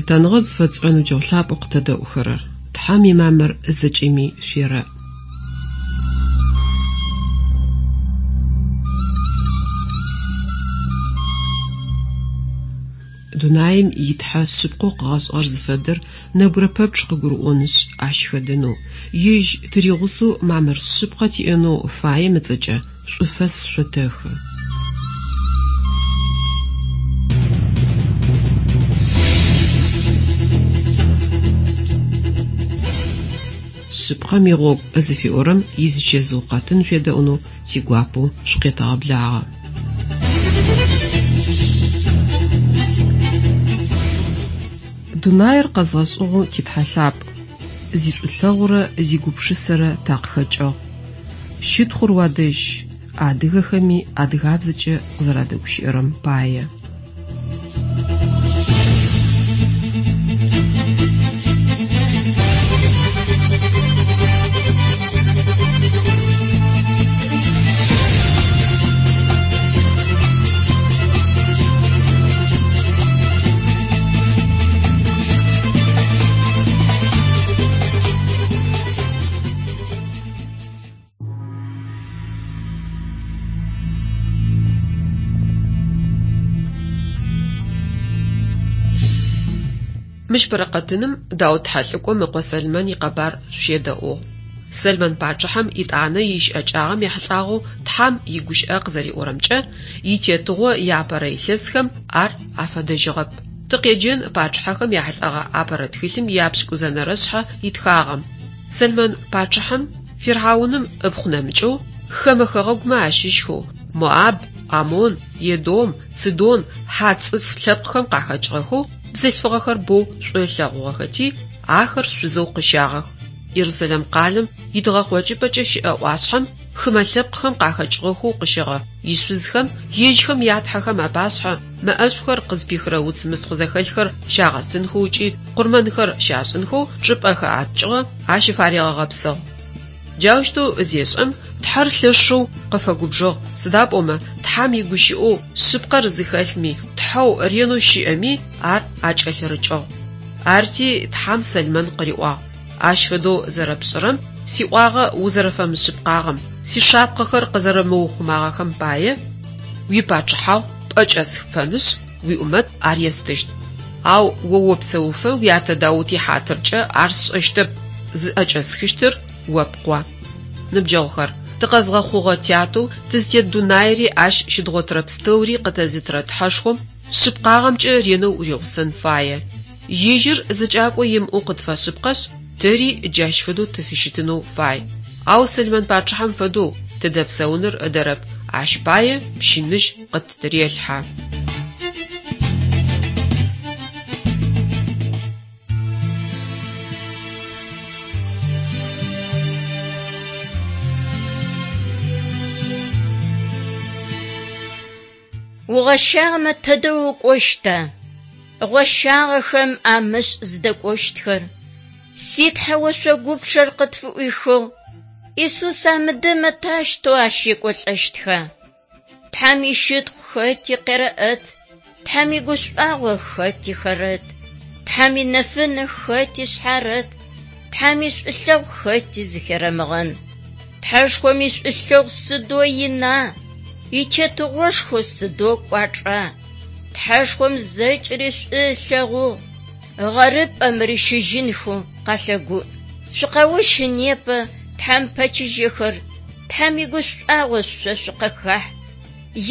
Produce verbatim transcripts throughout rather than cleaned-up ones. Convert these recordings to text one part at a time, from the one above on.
Лъытэныгъэ зыфэтшӏырэ ныбджэгъу лъапӏэу къытэдэӏухэрэр, Тхьэм имамыр зэкӏэми шъуерэӏ. Дунаим итхьэ шъыпкъэу къыгъэшӏыгъэр зыфэдэр нэбгырэ пэпчъ къыгурыӏонышъ ащ хэдэнэу, ежь тыригъусэу мамыр шъыпкъэ тиӏэнэу фаем ыцӏэкӏэ шӏуфэс шъотэхы. Шъыпкъэм игъогу зыфиӏорэм изычэзыу къэтын шъуедэӏунэу тигуапэу шъукъетэгъэблагъэ. Дунаир къэзгъэшӏыгъэу титхьэ лъапӏ, зишӏулъэгъурэ зигупшысэрэ такъыхэкӏыгъ. Щытхъур уадэжь, адыгэхэми адыгабзэкӏэ къызэрадэгущыӏэрэм пае. Мыщ фэрэкъэтыным Даут тхьэлӏыкӏом ыкъо Сэлмэн икъэбар шъущедэӏугъ. Сэлмэн пачъыхьэм итӏанэ ищыӏэкӏагъэм ехьылӏагъэу Тхьэм игущыӏэ къызэриӏорэмкӏэ, итетыгъо иапэрэ илъэсхэм ар афэдэжьыгъэп. Тыкъеджэн пачъыхьэхэм яхьылӏэгъэ апэрэ тхылъым ияпшӏыкӏузэнэрэ шъхьэ итхагъэм. Сэлмэн пачъыхьэм Фирхьауным ыпхъу нэмыкӏэу хэмэ хэгъэгумэ ащыщхэу Моаб, Амон, Едом, Цидон, хьат цӏыф лъэпкъхэм къахэкӏыгъэхэу бзылъфыгъэхэр боу шӏу ылъэгъугъэхэти, ахэр шъузэу къыщагъэх. Иерусалим къалэм итыгъэкъокӏыпӏэкӏэ щыӏэ ӏуашъхьэм хымэ лъэпкъхэм къахэкӏыгъэхэу къыщэгъэ ишъузхэм ежьхэм ятхьэхэм апашъхьэ мэӏэшӏухэр къызпихырэ уц мыстхъу зэхэлъхэр щагъэстынхэу ыкӏи къурмэнхэр щашӏынхэу чӏыпӏэ хэӏэтыкӏыгъэ ащыфаригъэгъэпсыгъ. Джаущтэу зешӏэм Тхьэр лъэшэу къыфэгубжыгъ, сыда пӏомэ Тхьэм игущыӏэу шъыпкъэр зыхэлъми, Тхьэу ренэу щыӏэми ар акӏэлъырыкӏыгъ. Арти Тхьэм Сэлмэн къыриӏуагъ: Ащ фэдэу зэрэпшӏырэм, сиӏуагъэ узэрэфэмышъыпкъагъэм, сишапхъэхэр къызэрэмыухъумагъэхэм пае уипачъыхьагъу пӏэкӏэсхыпэнышъ, уиӏумэт ар естыщт. Ау о опсэуфэ уятэ Даут ихьатыркӏэ ар сшӏэщтэп, зыӏэкӏэсхыщтыр о пкъо. Ныбджэгъухэр, тыкъэзгъэхъугъэ тятэу тызтет дунаири ащ щыдгъотырэ пстэури къытэзытырэ Тхьэшхом шъыпкъагъэмкӏэ ренэу уригъусэн фае. Ежьыр зэкӏакӏо имыӏэу къытфэшъыпкъэшъ, тэри джащ фэдэу тыфыщытынэу фай. Ау Сэлмэн пачъыхьэм фэдэу тыдэпсэуныр ыдэрэп, ащ пае пщыныжь къыттырелъхьэ. Угъэщагъэмэ тэдэ укӏощта? Гъощагъэхэм амышӏ зыдэкӏощтхэр. Си Тхьэ ошъогупчъэр къытфыӏуихыгъ. Исус амыдэмэ тащтэу ащ екӏолӏэщтха? Тхьэм ищытхъу хэти къерэӏэт, Тхьэм игушӏуагъо хэти хэрэт, Тхьэм инэфынэ хэти шъхьарэт, Тхьэм ишӏулъэгъу хэти зыхерэмыгъэн. Тхьэшхом ишӏулъэгъу сыдэу ина, итетыгъошхо сыдэу кӏуачӏа. Тхьэшхом зэкӏэри шӏу ылъэгъугъ, гъэрыпӏэм рищыжьынхэу къэлъэгуӏ. Шъукъэущы непэ Тхьэм пэчыжьэхэр, Тхьэм игушӏуагъо шъо шъукъыхахь.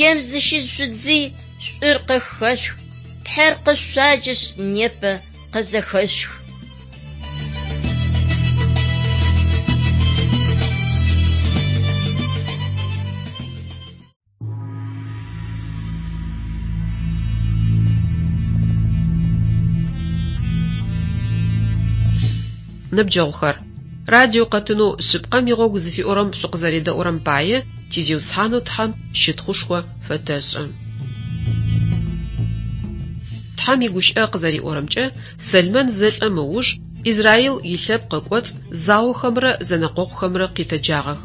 Ем зыщышъудзый шӏур къыхэшъух, Тхьэр къышъуаджэшъ непэ къызэхэшъух. Ныбджэгъухэр, радио къэтынэу шъыпкъэм игъогу зыфиӏорэм шъукъызэредэӏурэм пае ти Зиусхьанэу Тхьэм щытхъушхо фэтэшӏы. Тхьэм игущыӏэ къызэриӏорэмкӏэ, Сэлмэн зэлӏэм ыуж Израил илъэпкъ ыкӏоцӏ заохэмрэ зэнэкъокъухэмрэ къитэджагъэх.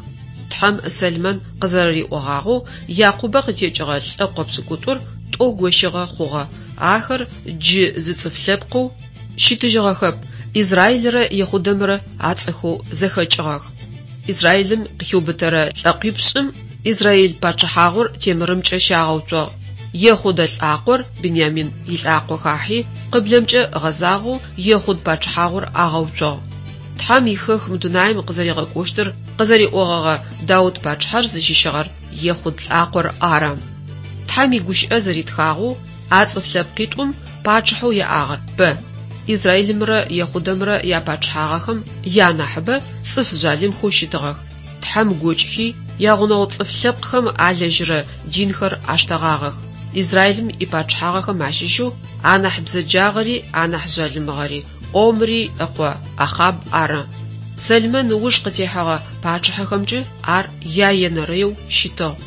Тхьэм Сэлмэн къызэрэриӏогъагъэу Якъубэ къытекӏыгъэ лӏэкъо пшӏыкӏутӏур тӏо гощыгъэ хъугъэ, ахэр джы зы цӏыф лъэпкъэу Щытыжьыгъэхэп, Израилрэ Ехъудэмрэ ацӏэхэу зэхэкӏыгъэх. Израилым къыхиубытэрэ лӏэкъуипшӏым Израиль пачъыхьагъур темырымкӏэ щагъэуцугъ. Ехъудэ лӏакъор Бинямин илӏакъо хахьи, къыблэмкӏэ гъэзагъэу Ехъуд пачъыхьагъур агъэуцугъ. Тхьэм ихэку мы дунаим къызэригъэкӏощтыр къызэриӏогъэгъэ Даут пачъыхьэр зыщыщыгъэр Ехъуд лӏакъор ары. Тхьэм игущыӏэ зэритхагъэу, а цӏыф лъэпкъитӏум пачъыхьэу яӏагъэр бэ. Израилымрэ Ехъудэмрэ япачъыхьагъэхэм янахьыбэ цӏыф жъалымхэу щытыгъэх. Тхьэм гокӏхи, ягъунэгъу цӏыф лъэпкъхэм алэжьырэ динхэр аштэгъагъэх. Израилым ипачъыхьагъэхэм ащыщэу анахь бзэджагъэри анахь жъалымыгъэри Омри ыкъо Ахъаб ары. Сэлмэн ыуж къытехьэгъэ пачъыхьэхэмкӏэ ар яенэрэу щытыгъ.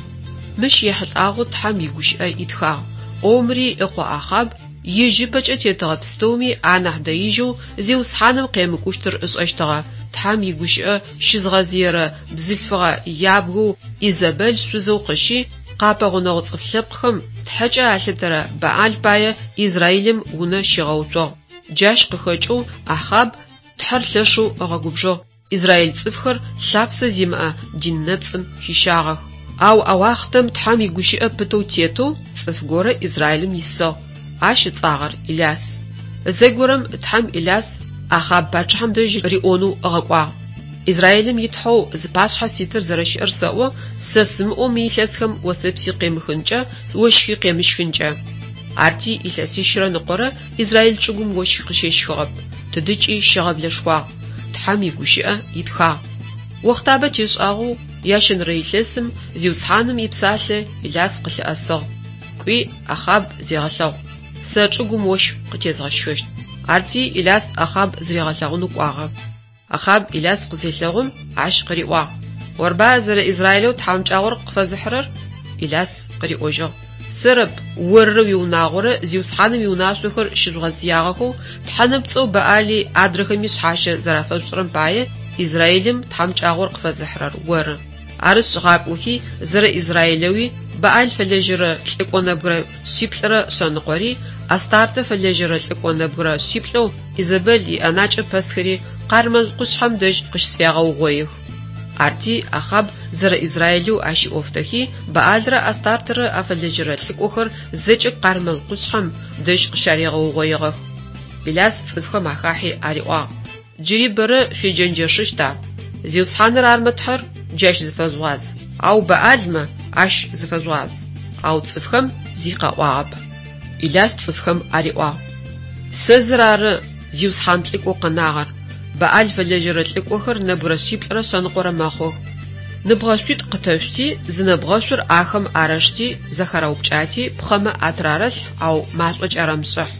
Мыщ ехьылӏагъэу Тхьэм игущыӏэ итхагъ: Омри ыкъо Ахъаб ежь ыпэкӏэ тетыгъэ пстэуми анахь дэижьэу Зиусхьаным къемыкӏущтыр ышӏэщтыгъэ. Тхьэм игущыӏэ щызгъэзыерэ бзылъфыгъэ ябгэу Изэбэл шъузэу къыщи, къапэгъунэгъу цӏыф лъэпкъхэм тхьэкӏэ алъытэрэ Баал пае Израилым унэ щигъэуцугъ. Джащ къыхэкӏэу Ахъаб Тхьэр лъэшэу ыгъэгубжыгъ, израиль цӏыфхэр лъапсэ зимыӏэ дин нэпцӏым хищагъэх. Ау а уахътэм Тхьэм игущыӏэ пытэу тетэу цӏыф горэ Израилым исыгъ. Ащ ыцӏагъэр Иляс. Зэгорэм Тхьэм Иляс Ахъаб пачъыхьэм дэжь риӏонэу ыгъэкӏуагъ: Израилым итхьэу зыпашъхьэ ситыр зэрэщыӏэр сэӏо, сэ сымыӏоу мы илъэсхэм осэпси къемыхынкӏэ, ощхи къемыщхынкӏэ. Арти илъэсищрэ ныкъорэ Израиль чӏыгум ощх къыщещхыгъэп, тыдыкӏи щыгъэблэшхуагъ. Тхьэм игущыӏэ итхагъ. Охътабэ тешӏагъэу ящэнэрэ илъэсым Зиусхьаным ипсалъэ Иляс къылъыӏэсыгъ: Кӏуи Ахъаб зегъэлъэгъу. Сэ чӏыгум ощх къытезгъэщхыщт. Арти Иляс Ахъаб зыригъэлъэгъунэу кӏуагъэ. Ахъаб Иляс къызелъэгъум, ащ къыриӏуагъ: Орба зэрэ Израилэу тхьамыкӏагъор къыфэзыхьырэр? Иляс къыриӏожьыгъ: Сэрэп, оррэ уиунагъорэ Зиусхьаным иунашъохэр щыжъугъэзыягъэхэу тхьэ нэпцӏэу Баали адрэхэми шъхьащэ зэрафэшъушӏырэм пае Израилым тхьамыкӏагъор къыфэзыхьырэр оры. Арышъ, гъакӏохи, зэрэ Израилэуи Баал фэлэжьэрэ лӏыкӏо нэбгырэ шъиплӏырэ шъэныкъори, Астартэ фэлэжьэрэ лӏыкӏо нэбгырэ шъиплӏэу Изэбэл иӏэнакӏэ пэсхэри Къармэл къушъхьэм дэжь къыщысфягъэугъоих. Арти Ахъаб зэрэ Израилэу ащ ыӏофтэхи, Баалрэ Астартэрэ афэлэжьэрэ лӏыкӏохэр зэкӏэ Къармэл къушъхьэм дэжь къыщаригъэугъоигъэх. Иляс цӏыфхэм ахахьи ариӏуагъ: Джыри бэрэ шъуеджэнджэшыщта? Зиусхьаныр армэ Тхьэр, джащ зыфэжъугъаз, ау Баалмэ ащ зыфэжъугъаз. Ау цӏыфхэм зи къаӏуагъэп. Иляс цӏыфхэм ариӏуагъ: Сэ зыр ары Зиусхьан лӏыкӏоу къэнагъэр. Баал фэлэжьэрэ лӏыкӏохэр нэбгырэ шъиплӏырэ шъэныкъорэ мэхъух. Ныбгъэшъуитӏу къытэшъути, зы нэбгъэшъур ахэм арэшти, зэхарэупкӏати, пхъэмэ атырарэлъхь, ау машӏо кӏарэмышӏыхь.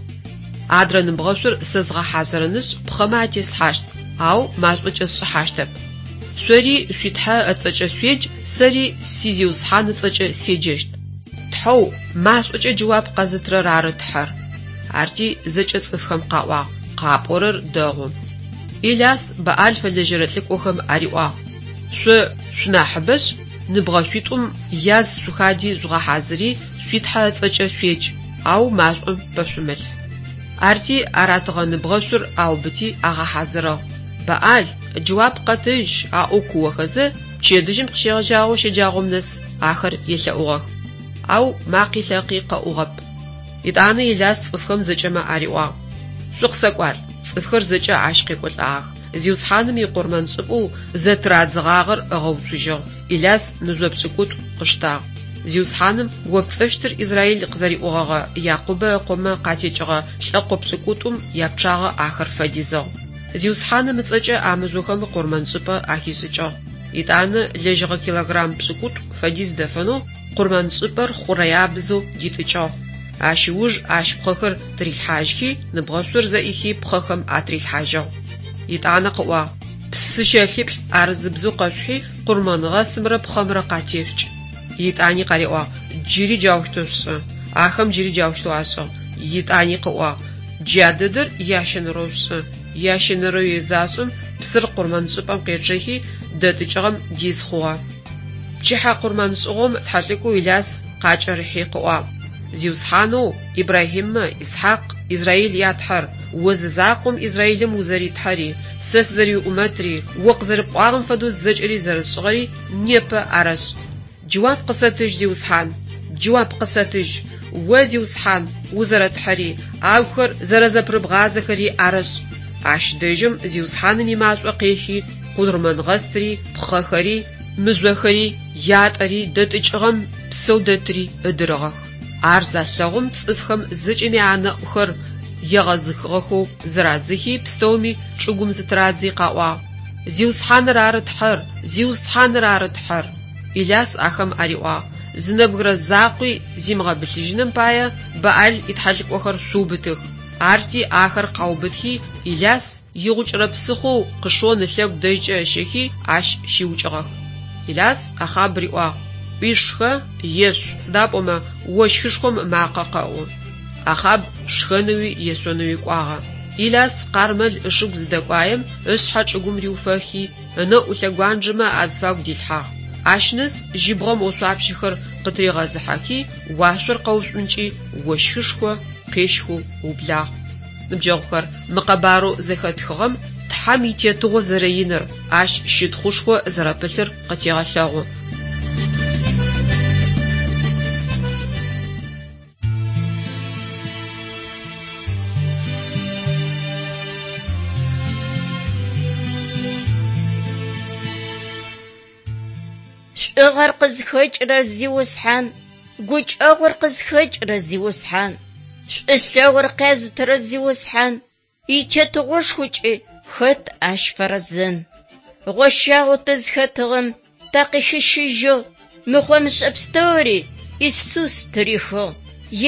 Адрэ ныбгъэшъур сэ згъэхьазырынышъ, пхъэмэ атеслъхьащт, ау машӏо кӏэсшӏыхьащтэп. Шъори шъуи Тхьэ ыцӏэкӏэ шъуедж, сэри си Зиусхьан ыцӏэкӏэ седжэщт. Тхьэу машӏокӏэ джэуап къэзытырэр ары Тхьэр. Арти зэкӏэ цӏыфхэм къаӏуагъ: Къапӏорэр дэгъу. Иляс Баал фэлэжьэрэ лӏыкӏохэм ариӏуагъ: Шъо шъунахьыбэшъ, ныбгъэшъуитӏум яз шъухади жъугъэхьазыри, шъуи Тхьэ ыцӏэкӏэ шъуедж, ау машӏом пэшъумылъхь. Арти аратыгъэ ныбгъэшъур аубыти агъэхьазырыгъ. Баал, джэуап къэтыжь, аӏоу куохэзэ, пчэдыжьым къыщегъэжьагъэу щэджагъом нэс ахэр елъэӏугъэх. Ау макъи лъакъи къэӏугъэп. Етӏанэ Иляс цӏыфхэм зэкӏэмэ ариӏуагъ: Шъукъысэкӏуалӏ, цӏыфхэр зэкӏэ ащ къекӏолӏагъэх. Зиусхьаным икъурмэншӏыпӏэу зэтырадзыгъагъэр ыгъэуцужьыгъ. Иляс мыжъо пшӏыкӏутӏу къыштагъ. Зиусхьаным о пцӏэщтыр Израиль къызэриӏогъэгъэ Якъубэ ыкъомэ къатекӏыгъэ лӏэкъо пшӏыкӏутӏум япчъагъэ ахэр фэдизыгъ. Зиусхьаным ыцӏэкӏэ а мыжъохэм къурмэншӏыпӏэ ахишӏыкӏыгъ. Етӏанэ лэжьыгъэ килограмм пшӏыкӏутӏу фэдиз дэфэнэу къурмэншӏыпӏэр хъурэябзэу дитӏыкӏыгъ. Ащ ыуж ащ пхъэхэр тырилъхьажьхи, ныбгъэшъур зэӏихи пхъэхэм атырилъхьажьыгъ. Етӏанэ къыӏуагъ: Псы щэлъиплӏ арызыбзэу къэшъухьи, къурмэнгъэстымрэ пхъэмрэ къатешъукӏ. Етӏани къариӏуагъ: Джыри джаущтэу шъушӏы. Ахэм джыри джаущтэу ашӏыгъ. Етӏани къыӏуагъ: Джа дэдэр ящэнэрэу шъушӏы. Ящэнэрэуи зашӏым, псыр къурмэншӏыпӏэм къечъэхи, дэтӏыкӏыгъэм диз хъугъэ. Пчыхьэ къурмэншӏыгъом тхьэлӏыкӏоу Иляс къакӏэрыхьи къыӏуагъ: Зиусхьанэу Ибрахьимэ, Исхьакъ, Израиль я Тхьэр, о зы закъом Израилым узэри-Тхьэри, сэ сызэриуӏумэтри, о къызэрэпӏуагъэм фэдэу зэкӏэри зэрэсшӏыгъэри непэ арэшӏ. Джэуап къысэтыжь, Зиусхьан, джэуап къысэтыжь. О, Зиусхьан, узэрэтхьэри, агухэр зэрэзэпырыбгъазэхэри арэшӏ. Ащ дэжьым Зиусхьаным имашӏо къехи, къурмэнгъэстри, пхъэхэри, мыжъохэри, ятӏэри, дэтӏыкӏыгъэм псэу дэтри ыдырыгъэх. Ар залъэгъум цӏыфхэм зэкӏэми анэӏухэр егъэзыхыгъэхэу зырадзыхи, пстэуми чӏыгум зытырадзи къаӏуагъ: Зиусхьаныр ары Тхьэр! Зиусхьаныр ары Тхьэр! Иляс ахэм ариӏуагъ: Зы нэбгырэ закъуи зимыгъэбылъыжьыным пае Баал итхьэлӏыкӏохэр шъуубытых. Арти ахэр къаубытхи, Иляс игъукӏырэ псыхъоу Къышон ылъэгу дэжькӏэ ыщэхи, ащ щиукӏыгъэх. Иляс Ахъаб риӏуагъ: Кӏуи шхэ, ешъу, сыда пӏомэ ощхышхом ымакъэ къэӏу. Ахъаб шхэнэуи ешъонэуи кӏуагъэ. Иляс Къармэл ышыгу зыдэкӏуаем, ышъхьэ чӏыгум риуфэхи, ынэӏу лъэгуанджэмэ азыфагу дилъхьагъ. Ащ нэс жьыбгъэм ошъуапщэхэр къытыригъэзыхьэхи, уашъор къэушӏункӏи, ощхышхо къещхэу ыублагъ. Ныбджэгъухэр, мы къэбарэу зэхэтхыгъэм Тхьэм итетыгъо зэрэиныр, ащ щытхъушхо зэрэпылъыр къытегъэлъэгъу. Шӏугъэр къызхэкӏырэр Зиусхьан, гукӏэгъур къызхэкӏырэ Зиусхьан, шӏулъэгъур къязытырэ Зиусхьан, итетыгъошхокӏи хэт ащ фэрэзэн. Гъощагъэу тызхэтыгъэм такъыхищыжьыгъ, мыхъо-мышӏэ пстэури Исус тырихыгъ.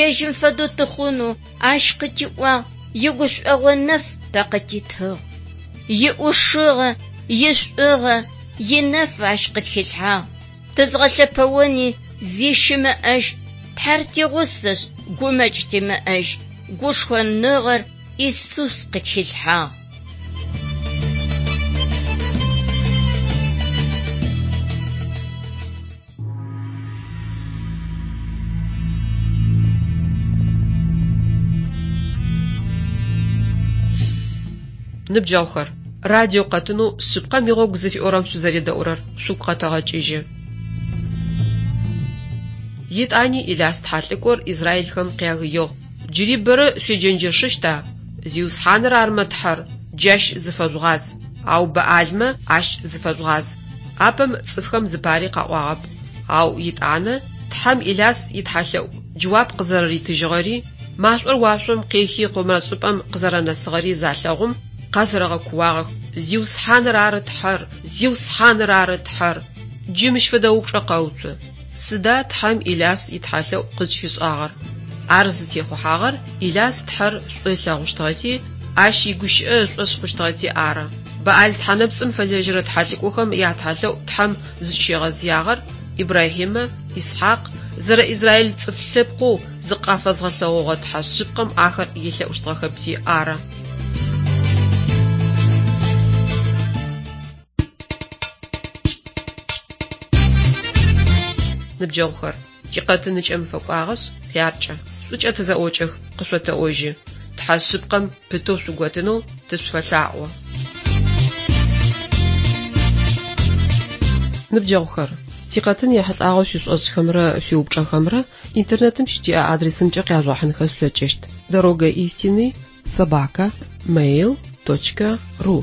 Ежьым фэдэу тыхъунэу ащ къытиӏуагъ, игушӏогъо нэф тэ къытитыгъ. Иӏушыгъэ, ишӏугъэ, инэф ащ къытхилъхьагъ. Тызгъэлъэпэони зи щымыӏэжь, Тхьэр тигъусэшъ, гумэкӏ тимыӏэжь, гушхоныгъэр Исус къытхилъхьагъ. Ныбджэгъухэр, радио къэтынэу шъыпкъэм игъогу зыфиӏорэм шъузэредэӏурэр шъугу къэтэгъэкӏыжьы. Етӏани Иляс тхьэлӏыкӏор израилхэм къягыигъ: «Джыри бэрэ шъуеджэнджэшыщта? Зиусхьаныр армэ Тхьэр, джащ зыфэжъугъаз, ау Баалмэ ащ зыфэжъугъаз». Апэм цӏыфхэм зыпари къаӏуагъэп, ау етӏанэ Тхьэм Иляс итхьэлъэӏу джэуап къызэрэритыжьыгъэри, машӏор уашъом къехи къурмэншӏыпӏэм къызэрэнэсыгъэри залъэгъум, къэзэрэгъэкууагъэх: «Зиусхьаныр ары Тхьэр! Зиусхьаныр ары Тхьэр!» Джы мыщ фэдэ упчӏэ къэуцу: Сыда Тхьэм Иляс итхьэлъэӏу къызкӏыфишӏагъэр? Ар зытехъухьагъэр Иляс Тхьэр шӏу ылъэгъущтыгъэти, ащ игущыӏэ ышӏошъ хъущтыгъэти ары. Баал тхьэнэпцӏым фэлэжьэрэ тхьэлӏыкӏохэм ятхьэлъэӏу Тхьэм зыкӏыщигъэзыягъэр Ибрахьимэ, Исхьакъ, зэрэ Израиль цӏыф лъэпкъэу зыкъафэзгъэлъэгъогъэ Тхьэ шъыпкъэм ахэр елъэӏущтыгъэхэпти ары. Ныбджэгъухэр, тикъэтын ыкӏэм фэкӏуагъэшъ, хъяркӏэ, шӏукӏэ тызэӏокӏэх, къышъотэӏожьы. Тхьэ шъыпкъэм пытэу шъуготынэу тышъуфэлъаӏо. Ныбджэгъухэр, тикъэтын ехьылӏагъэу шъуишӏошӏхэмрэ шъуиупчӏэхэмрэ интернетым щытиӏэ адресымкӏэ къяжъугъэхьынхэ шъулъэкӏыщт: дорога истины собака mail точка ру.